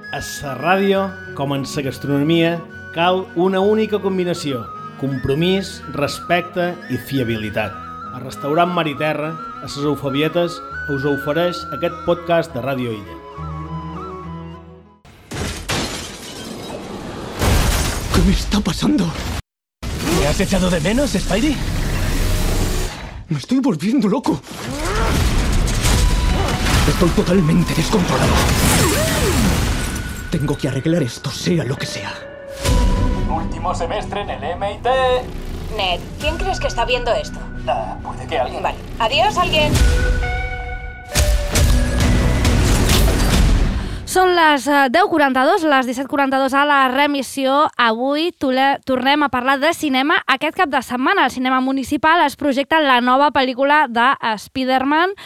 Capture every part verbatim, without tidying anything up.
A la ràdio, com en la gastronomia, cal una única combinació: compromís, respecte i fiabilitat. El restaurant Mar i Terra, a les Eufabietes, us ofereix aquest podcast de Ràdio Illa. ¿Qué me está pasando? ¿Me has echado de menos, Spidey? Me estoy volviendo loco. Estoy totalmente descontrolado. Tengo que arreglar esto, sea lo que sea. Último semestre en el M I T. Ned, ¿quién crees que está viendo esto? Ah, puede que alguien. Vale. Adiós, alguien. Són les deu quaranta-dos, les disset quaranta-dos a la remissió. Avui tornem a parlar de cinema. Aquest cap de setmana al cinema municipal es projecta la nova pel·lícula de Spider-Man,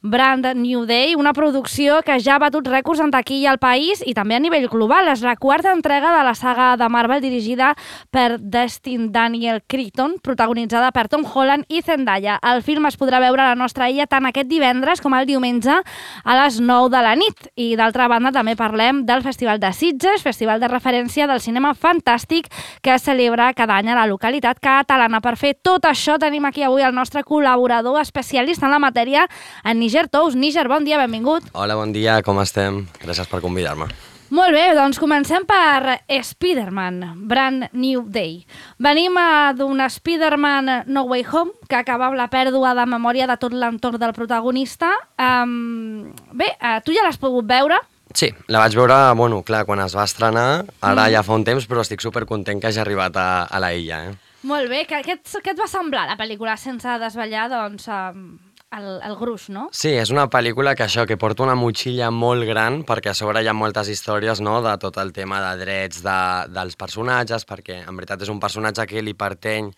Brand New Day, una producció que ja ha batut rècords en taquilla al país i també a nivell global. És la quarta entrega de la saga de Marvel dirigida per Destin Daniel Cretton, protagonitzada per Tom Holland i Zendaya. El film es podrà veure a la nostra illa tant aquest divendres com el diumenge a les nou de la nit. I d'altra banda també parlem del Festival de Sitges, festival de referència del cinema fantàstic que es celebra cada any a la localitat catalana. Per fer tot això tenim aquí avui el nostre col·laborador especialista en la matèria, en Níger Tous. Níger, bon dia, benvingut. Hola, bon dia, com estem? Gràcies per convidar-me. Molt bé, doncs comencem per Spider-Man, Brand New Day. Venim d'un Spider-Man No Way Home, que acaba amb la pèrdua de memòria de tot l'entorn del protagonista. Um, bé, uh, tu ja l'has pogut veure? Sí, la vaig veure, bueno, clar, quan es va estrenar, ara mm. ja fa un temps, però estic supercontent que hagi arribat a, a la illa. Eh? Molt bé, què, què, què et va semblar la pel·lícula sense desvetllar, doncs, um, el, el gruix, no? Sí, és una pel·lícula que això, que porta una motxilla molt gran, perquè a sobre hi ha moltes històries, no?, de tot el tema de drets de, dels personatges, perquè en veritat és un personatge que li pertany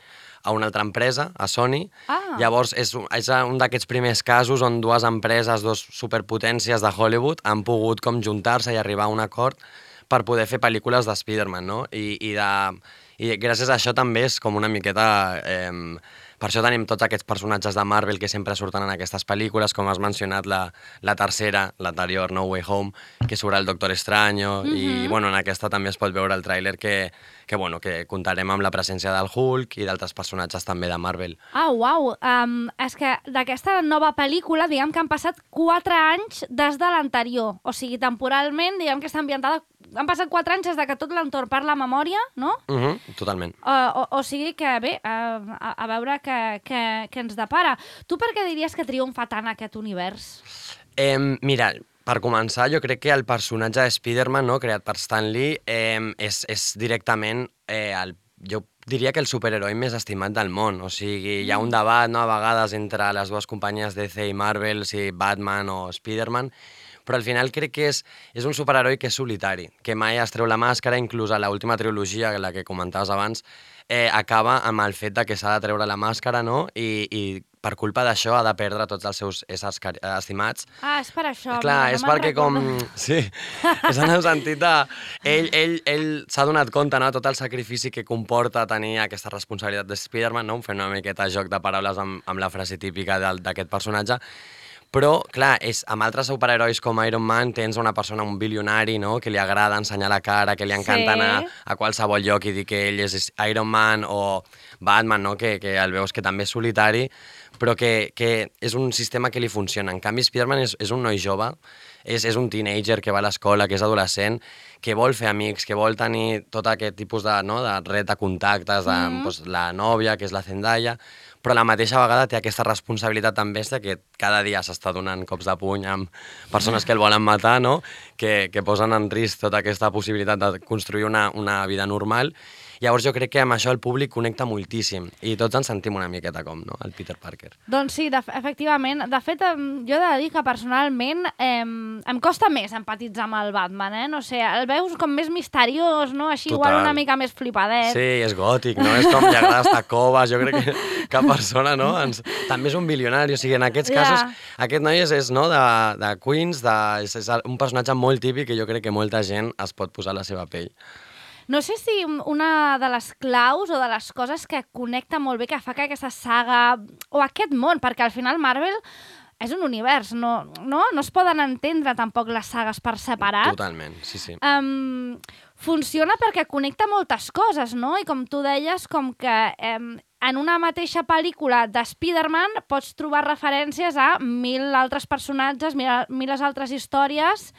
a una altra empresa, a Sony. Ah. Llavors, és, és un d'aquests primers casos on dues empreses, dos superpotències de Hollywood, han pogut com juntar-se i arribar a un acord per poder fer pel·lícules de Spider-Man, no? I, i, de, i gràcies a això també és com una miqueta... Eh, per això tenim tots aquests personatges de Marvel que sempre surten en aquestes pel·lícules, com has mencionat la, la tercera, l'anterior, No Way Home, que surt el Doctor Extraño, mm-hmm. i bueno, en aquesta també es pot veure el tràiler que, que, bueno, que comptarem amb la presència del Hulk i d'altres personatges també de Marvel. Ah, uau! Um, és que d'aquesta nova pel·lícula, diguem que han passat quatre anys des de l'anterior. O sigui, temporalment, diguem que està ambientada... Han passat quatre anys des de que tot l'entorn parla memòria, no? Uh-huh, totalment. Uh, o, o sigui que, bé, uh, a, a veure què, què, què ens depara. Tu per què diries que triomfa tant aquest univers? Eh, mira, per començar, jo crec que el personatge de Spider-Man, no, creat per Stan Lee, eh, és, és directament eh, el jo diria que el superheroi més estimat del món. O sigui, hi ha un debat, no, a vegades entre les dues companyies D C i Marvel, si Batman o Spider-Man, però al final crec que és, és un superheroi que és solitari, que mai es treu la màscara, inclús a l'última trilogia, la que comentaves abans, eh, acaba amb el fet de que s'ha de treure la màscara, no?, i, i per culpa d'això ha de perdre tots els seus éssers estimats. Ah, és per això. Clar, no és perquè com... Sí, és en el sentit de... Ell, ell, ell s'ha donat compte, no?, tot el sacrifici que comporta tenir aquesta responsabilitat de Spider-Man, no?, fent una miqueta joc de paraules amb, amb la frase típica d'aquest personatge. Però, clar, és, amb altres superherois com Iron Man tens una persona, un bilionari, no?, que li agrada ensenyar la cara, que li encanta sí. anar a qualsevol lloc i dir que ell és Iron Man, o Batman, no?, que, que el veus que també és solitari, però que, que és un sistema que li funciona. En canvi, Spider-Man és, és un noi jove, és, és un teenager que va a l'escola, que és adolescent, que vol fer amics, que vol tenir tot aquest tipus de, no, de red de contactes, de, mm-hmm. doncs, la nòvia, que és la Zendaya, però a la mateixa vegada té aquesta responsabilitat tan bèstia que cada dia s'està donant cops de puny amb persones que el volen matar, no?, que, que posen en risc tota aquesta possibilitat de construir una, una vida normal. Llavors jo crec que amb això el públic connecta moltíssim i tots ens sentim una miqueta com, no?, el Peter Parker. Doncs sí, de, efectivament. De fet, jo he de dir que personalment eh, em costa més empatitzar amb el Batman, eh? No sé, el veus com més misteriós, no? Així Total. Igual una mica més flipadet. Sí, és gòtic, no? És com li agrada estar coves, jo crec que cap persona, no? Ens... També és un bilionari, o sigui, en aquests yeah. casos, aquest noi és, és no, de, de Queens, de, és, és un personatge molt típic que jo crec que molta gent es pot posar a la seva pell. No sé si una de les claus o de les coses que connecta molt bé, que fa que aquesta saga, o aquest món, perquè al final Marvel és un univers, no, no, no es poden entendre tampoc les sagues per separat. Totalment, sí, sí. Um, funciona perquè connecta moltes coses, no? I com tu deies, com que um, en una mateixa pel·lícula de Spider-Man pots trobar referències a mil altres personatges, mil, mil altres històries.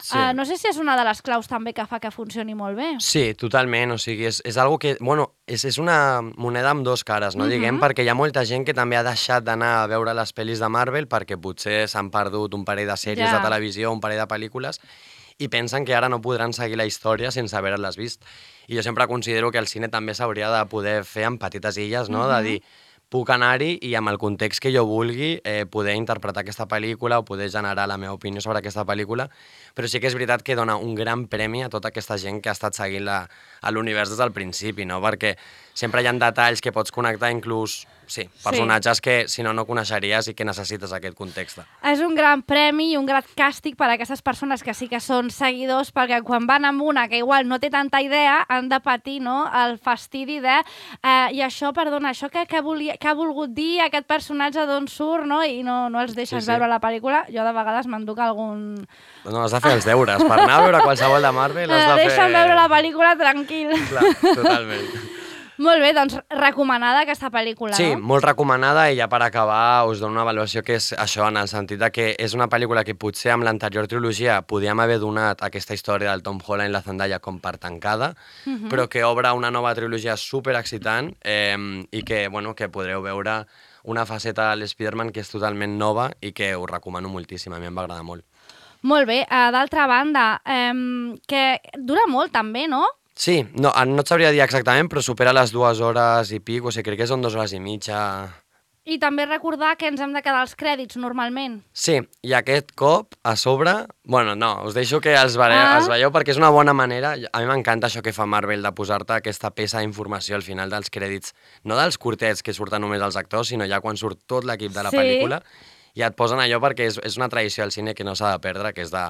Sí. Uh, no sé si és una de les claus també que fa que funcioni molt bé. Sí, totalment. O sigui, és, és algo que... Bueno, és, és una moneda amb dos cares, no? Uh-huh. Diguem, perquè hi ha molta gent que també ha deixat d'anar a veure les pel·lis de Marvel perquè potser s'han perdut un parell de sèries ja. de televisió, un parell de pel·lícules, i pensen que ara no podran seguir la història sense haver-les vist. I jo sempre considero que el cine també s'hauria de poder fer en petites illes, no? Uh-huh. De dir, puc anar-hi i amb el context que jo vulgui eh, poder interpretar aquesta pel·lícula o poder generar la meva opinió sobre aquesta pel·lícula, però sí que és veritat que dona un gran premi a tota aquesta gent que ha estat seguint la, a l'univers des del principi, no? Perquè sempre hi ha detalls que pots connectar, inclús, sí, personatges sí. que si no, no coneixeries i que necessites aquest context. És un gran premi i un gran càstig per a aquestes persones que sí que són seguidors, perquè quan van amb una que igual no té tanta idea, han de patir, no?, el fastidi de eh, i això, perdona, això que, que, volia, que ha volgut dir aquest personatge d'on surt, no?, i no, no els deixes sí, sí. veure la pel·lícula. Jo de vegades m'enduc algun... No, has de fer els deures. Per anar a veure qualsevol de Marvel has de fer... Deixa'm veure la pel·lícula tranquil. Clar, totalment. Molt bé, doncs recomanada aquesta pel·lícula, sí, no? Sí, molt recomanada, i ja per acabar us dono una avaluació que és això, en el sentit de que és una pel·lícula que potser amb l'anterior trilogia podíem haver donat aquesta història del Tom Holland i la Zendaya com per tancada, uh-huh. però que obre una nova trilogia super excitant eh, i que, bueno, que podreu veure una faceta de l'Spider-Man que és totalment nova i que us recomano moltíssim, a mi em va agradar molt. Molt bé, uh, d'altra banda, um, que dura molt també, no? Sí, no, no et sabria dir exactament, però supera les dues hores i pic, o sigui, crec que són dues hores i mitja. I també recordar que ens hem de quedar als crèdits, normalment. Sí, i aquest cop, a sobre... Bueno, no, us deixo que els, veieu, ah. els veieu perquè és una bona manera. A mi m'encanta això que fa Marvel, de posar-te aquesta peça d'informació al final dels crèdits, no dels curtets que surten només els actors, sinó ja quan surt tot l'equip de la sí. pel·lícula, i et posen allò perquè és, és una tradició al cine que no s'ha de perdre, que és de,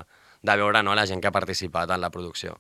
de veure, no, la gent que ha participat en la producció.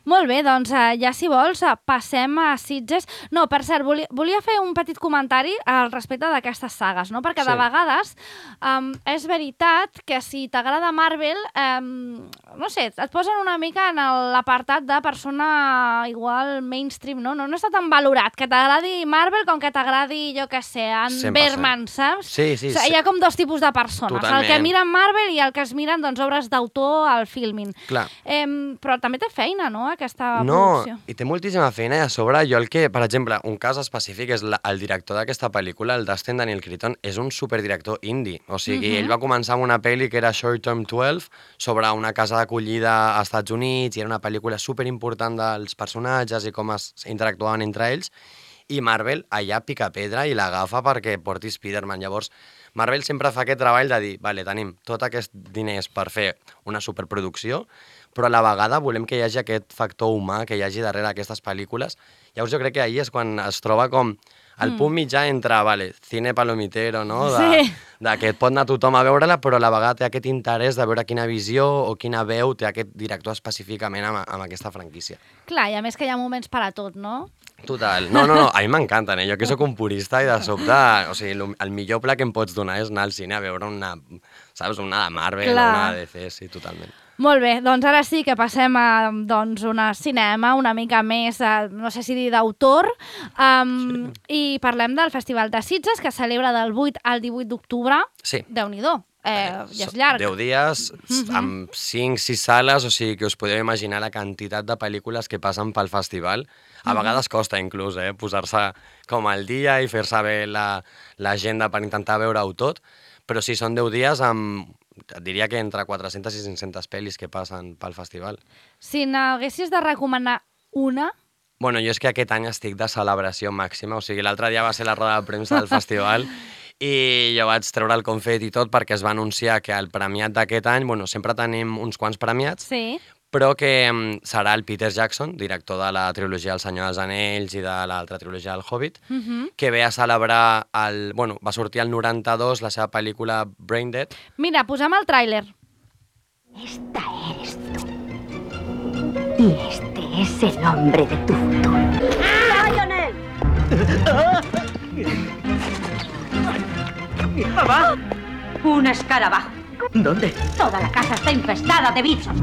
Molt bé, doncs ja si vols passem a Sitges. No, per cert, volia, volia fer un petit comentari al respecte d'aquestes sagues, no? Perquè sí. de vegades um, és veritat que si t'agrada Marvel, um, no sé, et posen una mica en l'apartat de persona igual mainstream, no? No, no està tan valorat que t'agradi Marvel com que t'agradi, jo què sé, en Bergman, saps? Sí, sí, o sigui, sí. Hi ha com dos tipus de persones, Totalment. El que miren Marvel i el que es miren doncs, obres d'autor al Filmin. Clar. Um, però també té feina, no?, aquesta no, producció. I té moltíssima feina, i a sobre jo el que, per exemple, un cas específic és la, el director d'aquesta pel·lícula, el Dustin Daniel Cretton, és un superdirector indie. O sigui, uh-huh. ell va començar amb una pel·li que era Short Term dotze, sobre una casa d'acollida als Estats Units, i era una pel·lícula superimportant dels personatges i com es interactuaven entre ells, i Marvel allà pica pedra i l'agafa perquè porti Spider-Man. Llavors, Marvel sempre fa aquest treball de dir, vale, tenim tot aquests diners per fer una superproducció, però a la vegada volem que hi hagi aquest factor humà que hi hagi darrere aquestes pel·lícules. Llavors jo crec que ahir és quan es troba com el punt mitjà entre, vale, cine palomitero, no? De, sí. de que pot anar tothom a veure-la, però a la vegada té aquest interès de veure quina visió o quina veu té aquest director específicament amb, amb aquesta franquícia. Clar, i a més que hi ha moments per a tot, no? Total. No, no, no, a mi m'encanten, eh? Jo que sóc un purista i de sobte, o sigui, el millor pla que em pots donar és anar al cine a veure una, saps, una de Marvel Clar. o una de D C, sí, totalment. Molt bé, doncs ara sí que passem a doncs, una cinema una mica més, eh, no sé si dir d'autor, um, sí. i parlem del Festival de Sitges, que celebra del vuit al divuit d'octubre. Sí. Déu-n'hi-do, eh, ja és llarg. deu dies, uh-huh. amb cinc sis sales, o sigui que us podeu imaginar la quantitat de pel·lícules que passen pel festival. A uh-huh. vegades costa inclús eh, posar-se com al dia i fer-se bé l'agenda la, per intentar veure-ho tot, però sí, són deu dies amb... Et diria que entre quatre-centes i cinc-centes pel·lis que passen pel festival. Si n'haguessis de recomanar una... Bueno, jo és que aquest any estic de celebració màxima, o sigui, l'altre dia va ser la roda de premsa del festival i jo vaig treure el confet i tot perquè es va anunciar que el premiat d'aquest any, bueno, sempre tenim uns quants premiats, sí. però que serà el Peter Jackson, director de la trilogia El Senyor dels Anells i de l'altra trilogia El Hobbit, uh-huh. que ve a celebrar, el, bueno, va sortir el noranta-dos la seva pel·lícula Brain Dead. Mira, posem el tràiler. Esta eres tú. Y este es el hombre de tu futuro. ¡Lionel! ¡Mamá! Un escarabajo. ¿Dónde? Toda la casa está infestada de bichos.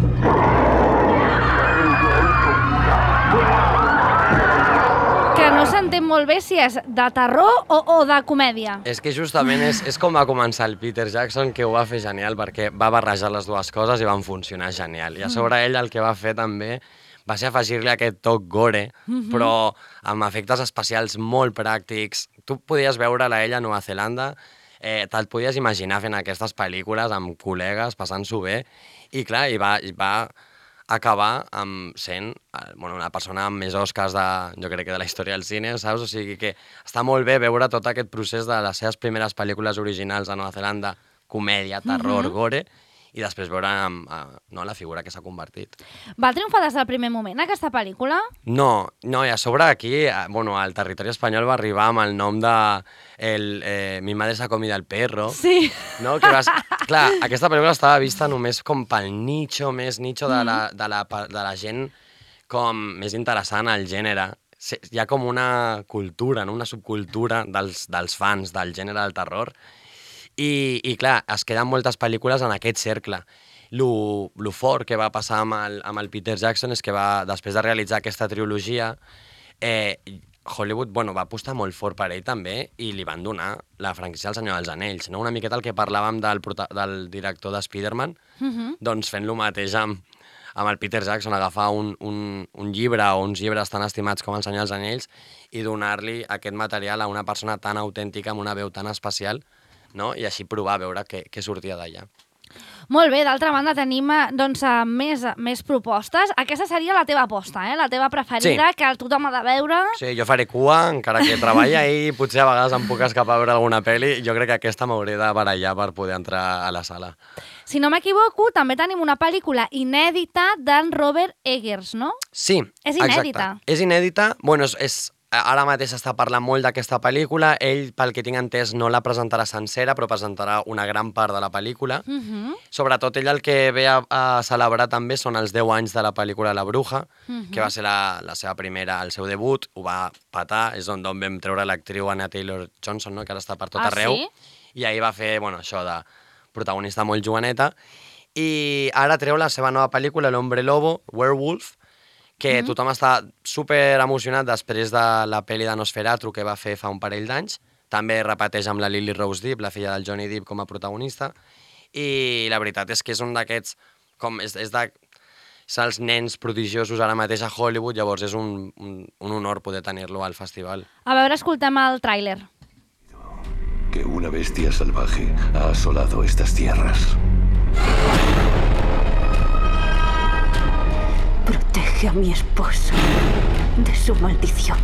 Que no s'entén molt bé si és de terror o, o de comèdia. És que justament és, és com va començar el Peter Jackson, que ho va fer genial perquè va barrejar les dues coses i van funcionar genial. I a sobre ell el que va fer també va ser afegir-li aquest toc gore, mm-hmm. però amb efectes especials molt pràctics. Tu podies veure-la ella a Nova Zelanda, eh, te'l podies imaginar fent aquestes pel·lícules amb col·legues, passant-s'ho bé, i clar, i va, i va acabar amb sent bueno, una persona amb més Oscars de, jo crec que de la història del cine, saps? O sigui que està molt bé veure tot aquest procés de les seves primeres pel·lícules originals a Nova Zelanda, comèdia, terror, mm-hmm. gore, i després veure amb, uh, no, la figura que s'ha convertit. Va triomfar des del primer moment, aquesta pel·lícula? No, no, i a sobre aquí, uh, bueno, al territori espanyol va arribar amb el nom de el, eh, Mi madre s'ha comido el perro. Sí. No? Que vas, clar, aquesta pel·lícula estava vista només com pel nicho, més nicho de la, de la, de la gent com més interessant al gènere. Hi ha com una cultura, no? Una subcultura dels, dels fans del gènere del terror. I, i clar, es queden moltes pel·lícules en aquest cercle. Lo, lo fort que va passar amb el, amb el Peter Jackson és que va, després de realitzar aquesta trilogia, eh, Hollywood bueno, va apostar molt fort per ell també i li van donar la franquícia del Senyor dels Anells. No? Una miqueta el que parlàvem del, del director de Spider-Man, uh-huh. doncs fent lo mateix amb, amb el Peter Jackson, agafar un, un, un llibre o uns llibres tan estimats com el Senyor dels Anells i donar-li aquest material a una persona tan autèntica, amb una veu tan especial, no? I així provar a veure què, què sortia d'allà. Molt bé, d'altra banda tenim doncs, més, més propostes. Aquesta seria la teva aposta, eh? La teva preferida, sí. Que tothom ha de veure. Sí, jo faré cua, encara que treballa i potser a vegades em puc escapar a veure alguna pel·li. Jo crec que aquesta m'hauré de barallar per poder entrar a la sala. Si no m'equivoco, també tenim una pel·lícula inèdita d'en Robert Eggers, no? Sí, és inèdita. Exacte. És inèdita. Bueno, és... és ara mateix s'està parlant molt d'aquesta pel·lícula. Ell, pel que tinc entès, no la presentarà sencera, però presentarà una gran part de la pel·lícula. Uh-huh. Sobretot ell el que ve a, a celebrar també són els deu anys de la pel·lícula La Bruja, uh-huh. que va ser la, la seva primera, el seu debut, ho va petar, és on, on vam treure l'actriu Anna Taylor-Johnson, no? Que ara està per tot ah, arreu, sí? I ahir va fer bueno, això de protagonista molt joveneta, i ara treu la seva nova pel·lícula, L'Hombre Lobo, Werewolf, que mm-hmm. tothom està super emocionat després de la pel·li de Nosferatu que va fer fa un parell d'anys. També repeteix amb la Lily Rose Depp, la filla del Johnny Depp, com a protagonista. I la veritat és que és un d'aquests... com és, és de... És els nens prodigiosos ara mateix a Hollywood, llavors és un, un, un honor poder tenir-lo al festival. A veure, escoltem el tràiler. Que una bestia salvaje ha asolado estas tierras. Protege a mi esposo de su maldición.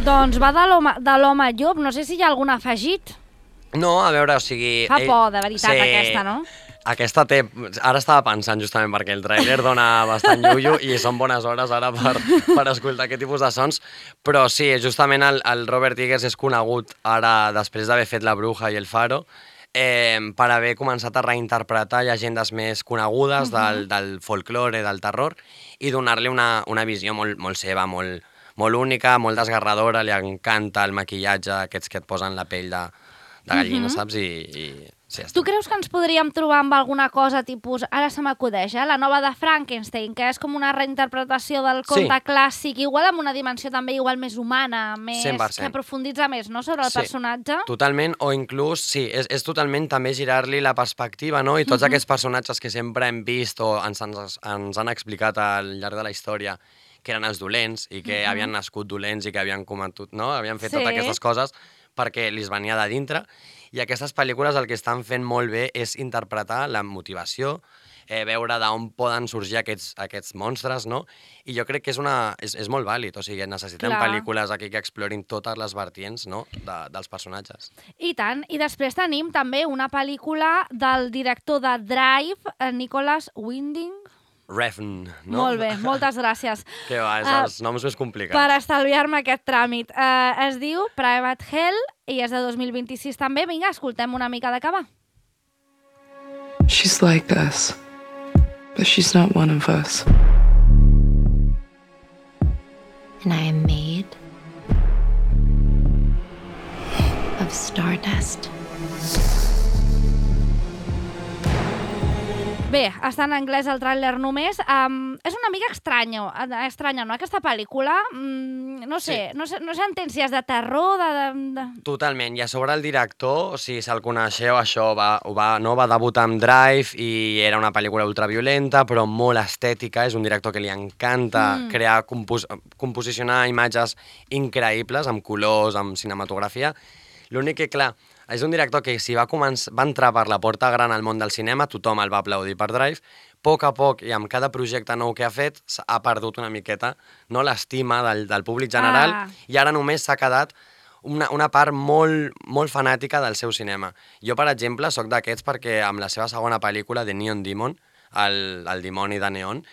Doncs va de l'home llop, no sé si hi ha algun afegit. No, a veure, o sigui... Fa ell... por, de veritat, sí. Aquesta, no? Aquesta té... Ara estava pensant justament perquè el tràiler dona bastant llullo i són bones hores ara per, per escoltar aquest tipus de sons, però sí, justament el, el Robert Eggers és conegut ara, després d'haver fet La Bruja i El Faro, eh, per haver començat a reinterpretar llegendes més conegudes uh-huh. del, del folklore, del terror, i donar-li una, una visió molt, molt seva, molt, molt única, molt desgarradora, li encanta el maquillatge aquests que et posen la pell de, de gallina, uh-huh. saps? I... i... Sí, tu creus que ens podríem trobar amb alguna cosa tipus, ara se m'acudeix, eh? La nova de Frankenstein, que és com una reinterpretació del conte sí. clàssic, igual amb una dimensió també igual més humana, més cent per cent. Que aprofunditza més, no?, sobre el sí. personatge? Totalment, o inclús, sí, és, és totalment també girar-li la perspectiva, no? I tots uh-huh. aquests personatges que sempre hem vist o ens, ens, ens han explicat al llarg de la història que eren els dolents i que uh-huh. havien nascut dolents i que havien cometut, no? Havien fet sí. totes aquestes coses perquè li venia de dintre. I aquestes pel·lícules el que estan fent molt bé és interpretar la motivació, eh, veure d'on poden sorgir aquests, aquests monstres, no? I jo crec que és, una, és, és molt vàlid, o sigui, necessitem Clar. pel·lícules aquí que explorin totes les vertients, no?, de, dels personatges. I tant, i després tenim també una pel·lícula del director de Drive, Nicholas Winding, Refn, no? Molt bé, moltes gràcies. Que va, és uh, els noms més complicats. Per estalviar-me aquest tràmit. Uh, es diu Private Hell i és de dos mil vint-i-sis també. Vinga, escoltem una mica d'acabar. She's like us, but she's not one of us. And I am made of stardust. Bé, està en anglès el tràiler només. Um, és una mica estranya, estranya, no? Aquesta pel·lícula, mm, no sé, sí. no sé, no sé entén si és de terror, de... de, de... Totalment, i a sobre el director, si se'l coneixeu, això va, va, no, va debutar amb Drive i era una pel·lícula ultraviolenta, però molt estètica, és un director que li encanta mm. crear, compos composicionar imatges increïbles, amb colors, amb cinematografia. L'únic que, clar, és un director que si va, començar, va entrar per la porta gran al món del cinema, tothom el va aplaudir per Drive, a poc a poc i amb cada projecte nou que ha fet ha perdut una miqueta, no, l'estima del, del públic general ah. i ara només s'ha quedat una, una part molt, molt fanàtica del seu cinema. Jo, per exemple, sóc d'aquests perquè amb la seva segona pel·lícula, The Neon Demon, el, el dimoni de neon,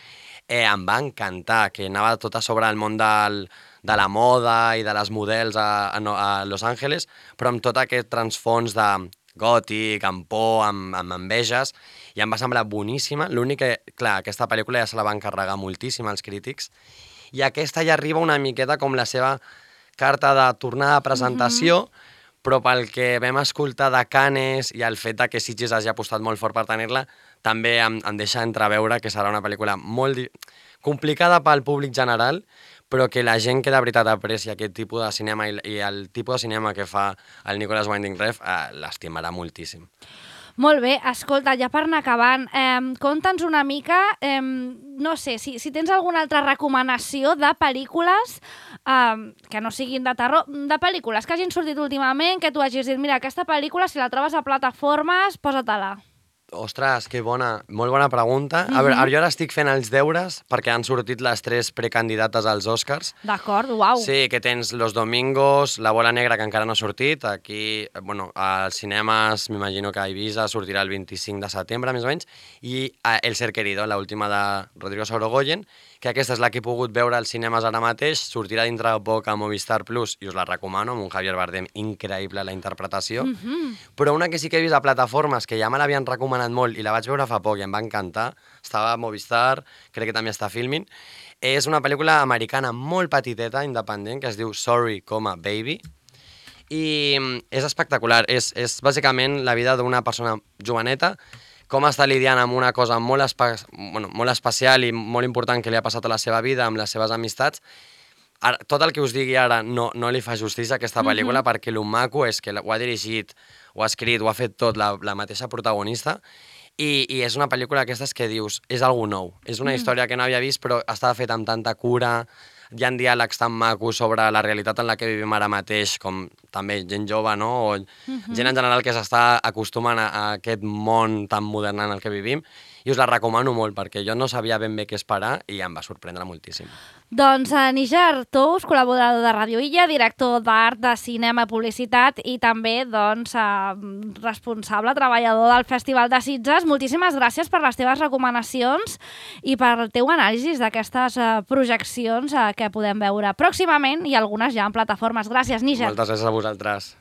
eh, em va encantar, que anava tot a sobre el món del... de la moda i de les models a, a, a Los Angeles, però amb tot aquest transfons de gòtic, amb por, amb, amb enveges, i em va semblar boníssima. L'únic que, clar, aquesta pel·lícula ja se la va encarregar moltíssim als crítics, i aquesta ja arriba una miqueta com la seva carta de tornada de presentació, mm-hmm. però pel que vam escoltar de Cannes i el fet que Sitges hagi apostat molt fort per tenir-la, també em, em deixa entreveure que serà una pel·lícula molt complicada pel públic general, però que la gent que de veritat aprecia aquest tipus de cinema i, i el tipus de cinema que fa el Nicolas Winding Refn eh, l'estimarà moltíssim. Molt bé, escolta, ja per anar acabant, eh, conta'ns una mica, eh, no sé, si, si tens alguna altra recomanació de pel·lícules eh, que no siguin de terror, de pel·lícules que hagin sortit últimament, que tu hagis dit, mira, aquesta pel·lícula, si la trobes a plataformes, posa-te-la. Ostres, que bona, molt bona pregunta. A veure, jo ara estic fent els deures perquè han sortit les tres precandidates als Oscars. D'acord, uau. Sí, que tens Los Domingos, La Bola Negra, que encara no ha sortit. Aquí, bueno, als cinemes, m'imagino que a Ibiza sortirà el vint-i-cinc de setembre, més o menys. I El Ser Querido, l'última de Rodrigo Sorogoyen, que aquesta és la que he pogut veure als cinemes ara mateix. Sortirà dintre de poc a Movistar Plus i us la recomano, amb un Javier Bardem increïble la interpretació. Mm-hmm. Però una que sí que he vist a plataformes, que ja me l'havien recomanat molt i la vaig veure fa poc i em va encantar, estava a Movistar, crec que també està Filmin, és una pel·lícula americana molt petiteta, independent, que es diu Sorry, Baby, i és espectacular, és, és bàsicament la vida d'una persona joveneta, com està lidiant amb una cosa molt, espe bueno, molt especial i molt important que li ha passat a la seva vida, amb les seves amistats. Ara, tot el que us digui ara no, no li fa justícia a aquesta pel·lícula, mm-hmm. perquè el maco és que ho ha dirigit, ho ha escrit, ho ha fet tot la, la mateixa protagonista, i, i és una pel·lícula d'aquestes que dius, és algú nou, és una mm. història que no havia vist, però està feta amb tanta cura, hi ha diàlegs tan macos sobre la realitat en la que vivim ara mateix, com també gent jove, no? O mm-hmm. gent en general que s'està acostumant a, a aquest món tan modern en el que vivim, i us la recomano molt, perquè jo no sabia ben bé què esperar i em va sorprendre moltíssim. Doncs uh, Níger Tous, col·laborador de Ràdio Illa, director d'art, de cinema i publicitat i també doncs, uh, responsable, treballador del Festival de Sitges. Moltíssimes gràcies per les teves recomanacions i per el teu anàlisi d'aquestes uh, projeccions uh, que podem veure pròximament i algunes ja en plataformes. Gràcies, Níger. Moltes gràcies a vosaltres.